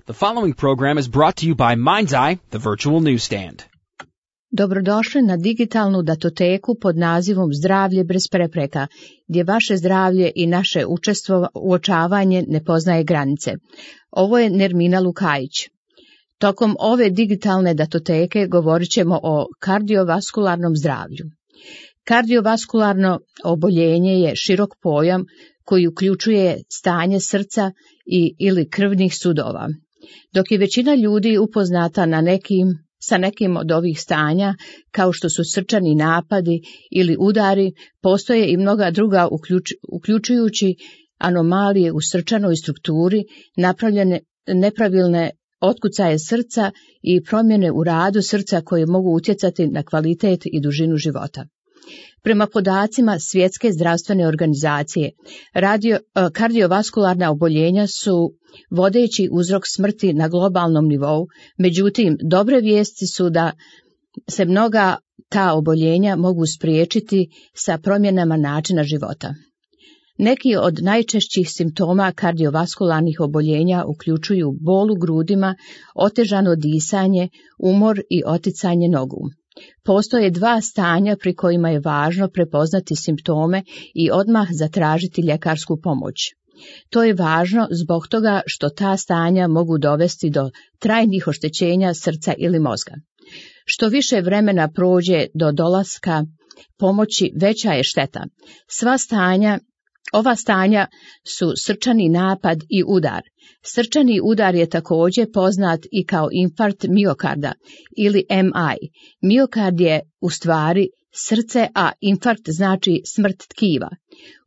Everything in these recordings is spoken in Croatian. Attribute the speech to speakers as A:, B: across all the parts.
A: The following program is brought to you by Mind's Eye, the virtual newsstand.
B: Dobrodošli na digitalnu datoteku pod nazivom Zdravlje bez prepreka, gdje vaše zdravlje i naše uočavanje ne poznaje granice. Ovo je Nermina Lukajić. Tokom ove digitalne datoteke govorit ćemo o kardiovaskularnom zdravlju. Kardiovaskularno oboljenje je širok pojam koji uključuje stanje srca ili krvnih sudova. Dok je većina ljudi upoznata sa nekim od ovih stanja, kao što su srčani napadi ili udari, postoje i mnoga druga uključujući anomalije u srčanoj strukturi, nepravilne otkucaje srca i promjene u radu srca koje mogu utjecati na kvalitet i dužinu života. Prema podacima Svjetske zdravstvene organizacije, kardiovaskularna oboljenja su vodeći uzrok smrti na globalnom nivou, međutim, dobre vijesti su da se mnoga ta oboljenja mogu spriječiti sa promjenama načina života. Neki od najčešćih simptoma kardiovaskularnih oboljenja uključuju bol u grudima, otežano disanje, umor i oticanje nogu. Postoje dva stanja pri kojima je važno prepoznati simptome i odmah zatražiti ljekarsku pomoć. To je važno zbog toga što ta stanja mogu dovesti do trajnih oštećenja srca ili mozga. Što više vremena prođe do dolaska pomoći, veća je šteta. Ova stanja su srčani napad i udar. Srčani udar je također poznat i kao infarkt miokarda ili MI. Miokard je u stvari srce, a infarkt znači smrt tkiva.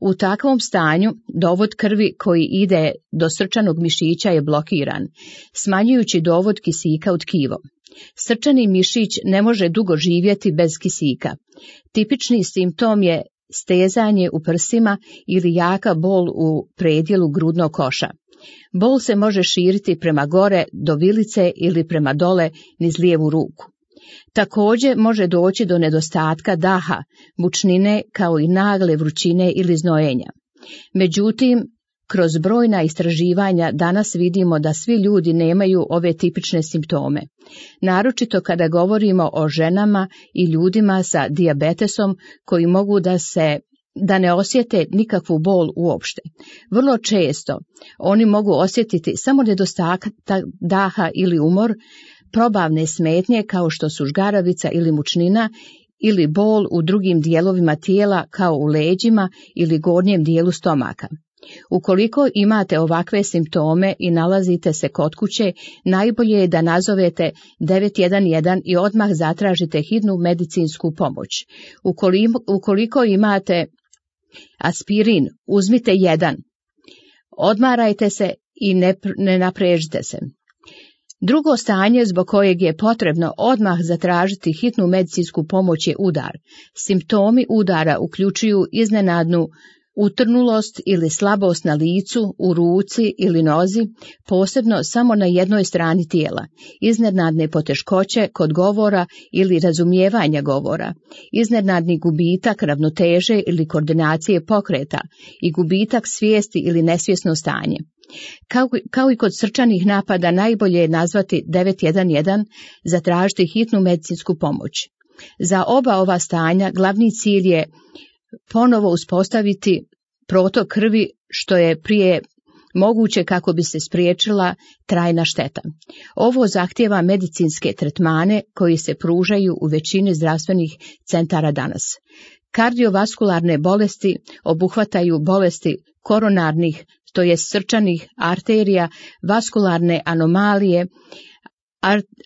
B: U takvom stanju dovod krvi koji ide do srčanog mišića je blokiran, smanjujući dovod kisika u tkivo. Srčani mišić ne može dugo živjeti bez kisika. Tipični simptom je stezanje u prsima ili jaka bol u predjelu grudnog koša. Bol se može širiti prema gore do vilice ili prema dole niz lijevu ruku. Također može doći do nedostatka daha, mučnine kao i nagle vrućine ili znojenja. Međutim, kroz brojna istraživanja danas vidimo da svi ljudi nemaju ove tipične simptome. Naročito kada govorimo o ženama i ljudima sa dijabetesom koji mogu da ne osjete nikakvu bol uopšte. Vrlo često oni mogu osjetiti samo nedostatak daha ili umor, probavne smetnje kao što su žgaravica ili mučnina ili bol u drugim dijelovima tijela kao u leđima ili gornjem dijelu stomaka. Ukoliko imate ovakve simptome i nalazite se kod kuće, najbolje je da nazovete 911 i odmah zatražite hitnu medicinsku pomoć. Ukoliko imate aspirin, uzmite 1. Odmarajte se i ne naprežite se. Drugo stanje zbog kojeg je potrebno odmah zatražiti hitnu medicinsku pomoć je udar. Simptomi udara uključuju iznenadnu utrnulost ili slabost na licu, u ruci ili nozi, posebno samo na jednoj strani tijela, iznenadne poteškoće kod govora ili razumijevanja govora, iznenadni gubitak ravnoteže ili koordinacije pokreta i gubitak svijesti ili nesvjesno stanje. Kao i kod srčanih napada, najbolje je nazvati 911, zatražiti hitnu medicinsku pomoć. Za oba ova stanja glavni cilj je ponovo uspostaviti protok krvi što je prije moguće kako bi se spriječila trajna šteta. Ovo zahtijeva medicinske tretmane koji se pružaju u većini zdravstvenih centara danas. Kardiovaskularne bolesti obuhvataju bolesti koronarnih, to je srčanih arterija, vaskularne anomalije,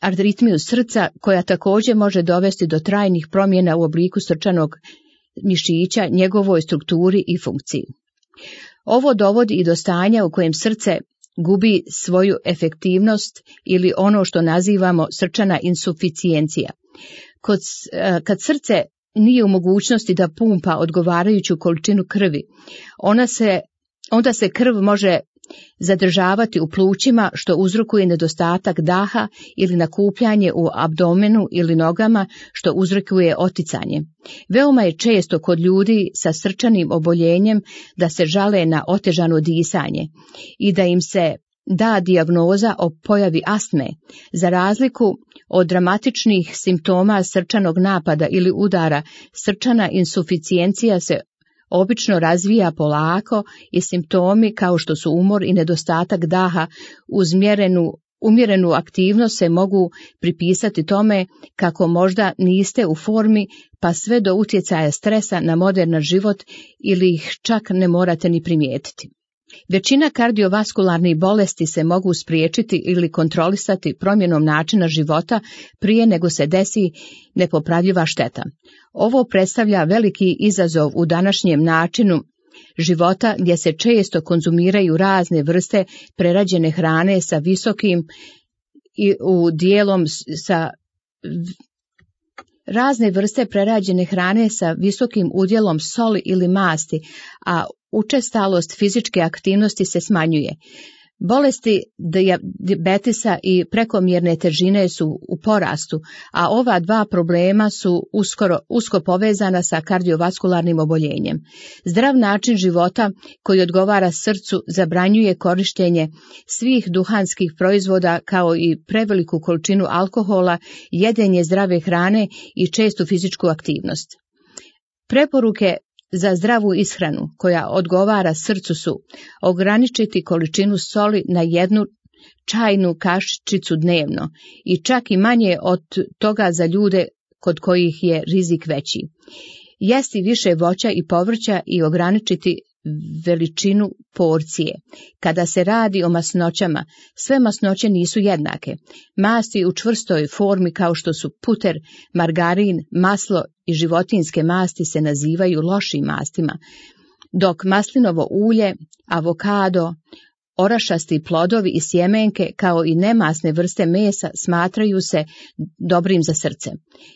B: aritmiju srca koja također može dovesti do trajnih promjena u obliku srčanog mišića, njegovoj strukturi i funkciji. Ovo dovodi i do stanja u kojem srce gubi svoju efektivnost ili ono što nazivamo srčana insuficijencija. Kad srce nije u mogućnosti da pumpa odgovarajuću količinu krvi, onda se krv može zadržavati u plućima što uzrokuje nedostatak daha ili nakupljanje u abdomenu ili nogama što uzrokuje oticanje. Veoma je često kod ljudi sa srčanim oboljenjem da se žale na otežano disanje i da im se da dijagnoza o pojavi astme, za razliku od dramatičnih simptoma srčanog napada ili udara, srčana insuficijencija se obično razvija polako i simptomi kao što su umor i nedostatak daha uz umjerenu aktivnost se mogu pripisati tome kako možda niste u formi, pa sve do utjecaja stresa na moderan život ili ih čak ne morate ni primijetiti. Većina kardiovaskularnih bolesti se mogu spriječiti ili kontrolisati promjenom načina života prije nego se desi nepopravljiva šteta. Ovo predstavlja veliki izazov u današnjem načinu života gdje se često konzumiraju razne vrste prerađene hrane sa visokim i u dijelom sa razne vrste prerađene hrane sa visokim udjelom soli ili masti, a učestalost fizičke aktivnosti se smanjuje. Bolesti dijabetesa i prekomjerne težine su u porastu, a ova dva problema su usko povezana sa kardiovaskularnim oboljenjem. Zdrav način života koji odgovara srcu zabranjuje korištenje svih duhanskih proizvoda kao i preveliku količinu alkohola, jedenje zdrave hrane i čestu fizičku aktivnost. Preporuke za zdravu ishranu koja odgovara srcu su ograničiti količinu soli na 1 čajnu kašičicu dnevno i čak i manje od toga za ljude kod kojih je rizik veći. Jesti više voća i povrća i ograničiti veličinu porcije. Kada se radi o masnoćama, sve masnoće nisu jednake. Masti u čvrstoj formi kao što su puter, margarin, maslo i životinjske masti se nazivaju lošim mastima, dok maslinovo ulje, avokado, orašasti plodovi i sjemenke kao i nemasne vrste mesa smatraju se dobrim za srce.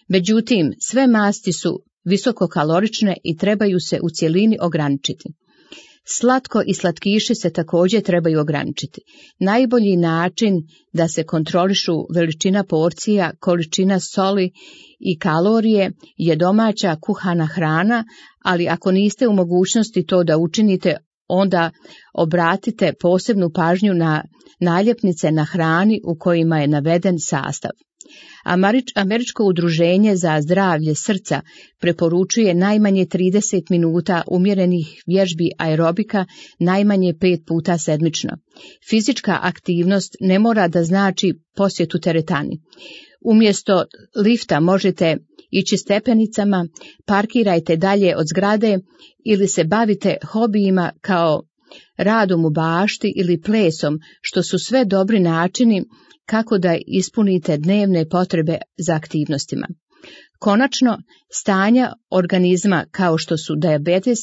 B: Međutim, sve masti su visokokalorične i trebaju se u cjelini ograničiti. Slatko i slatkiši se također trebaju ograničiti. Najbolji način da se kontrolišu veličina porcija, količina soli i kalorije je domaća kuhana hrana, ali ako niste u mogućnosti to da učinite, onda obratite posebnu pažnju na naljepnice na hrani u kojima je naveden sastav. Američko udruženje za zdravlje srca preporučuje najmanje 30 minuta umjerenih vježbi aerobika najmanje 5 puta sedmično. Fizička aktivnost ne mora da znači posjetu teretani. Umjesto lifta možete ići stepenicama, parkirajte dalje od zgrade ili se bavite hobijima kao radom u bašti ili plesom, što su sve dobri načini kako da ispunite dnevne potrebe za aktivnostima. Konačno, stanja organizma kao što su dijabetes,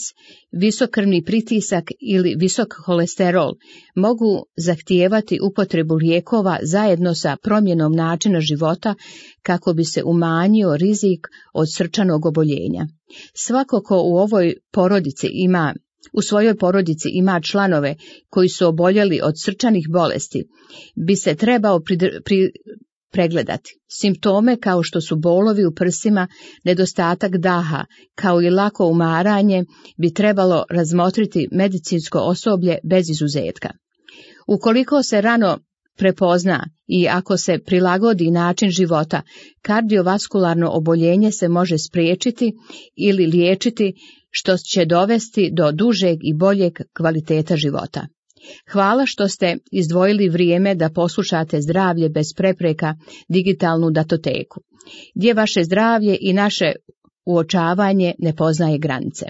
B: visok krvni pritisak ili visok holesterol mogu zahtijevati upotrebu lijekova zajedno sa promjenom načina života kako bi se umanjio rizik od srčanog oboljenja. Svako ko u svojoj porodici ima članove koji su oboljeli od srčanih bolesti, bi se trebao pregledati. Simptome kao što su bolovi u prsima, nedostatak daha, kao i lako umaranje, bi trebalo razmotriti medicinsko osoblje bez izuzetka. Ukoliko se rano prepozna i ako se prilagodi način života, kardiovaskularno oboljenje se može spriječiti ili liječiti, što će dovesti do dužeg i boljeg kvaliteta života. Hvala što ste izdvojili vrijeme da poslušate Zdravlje bez prepreka, digitalnu datoteku, gdje vaše zdravlje i naše uočavanje ne poznaje granice.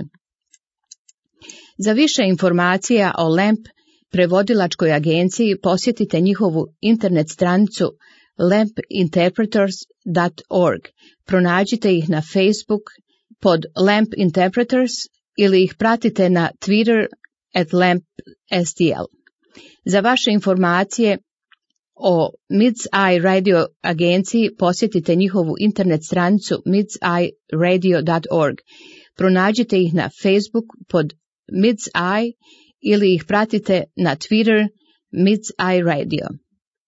B: Za više informacija o LAMP prevodilačkoj agenciji posjetite njihovu internet stranicu lampinterpreters.org. Pronađite ih na Facebook pod LAMP Interpreters ili ih pratite na Twitter @LampSTL. Za vaše informacije o MIDS-Eye radio agenciji posjetite njihovu internet stranicu midseyeradio.org. Pronađite ih na Facebook pod MIDS-Eye ili ih pratite na Twitter MIDS-Eye Radio.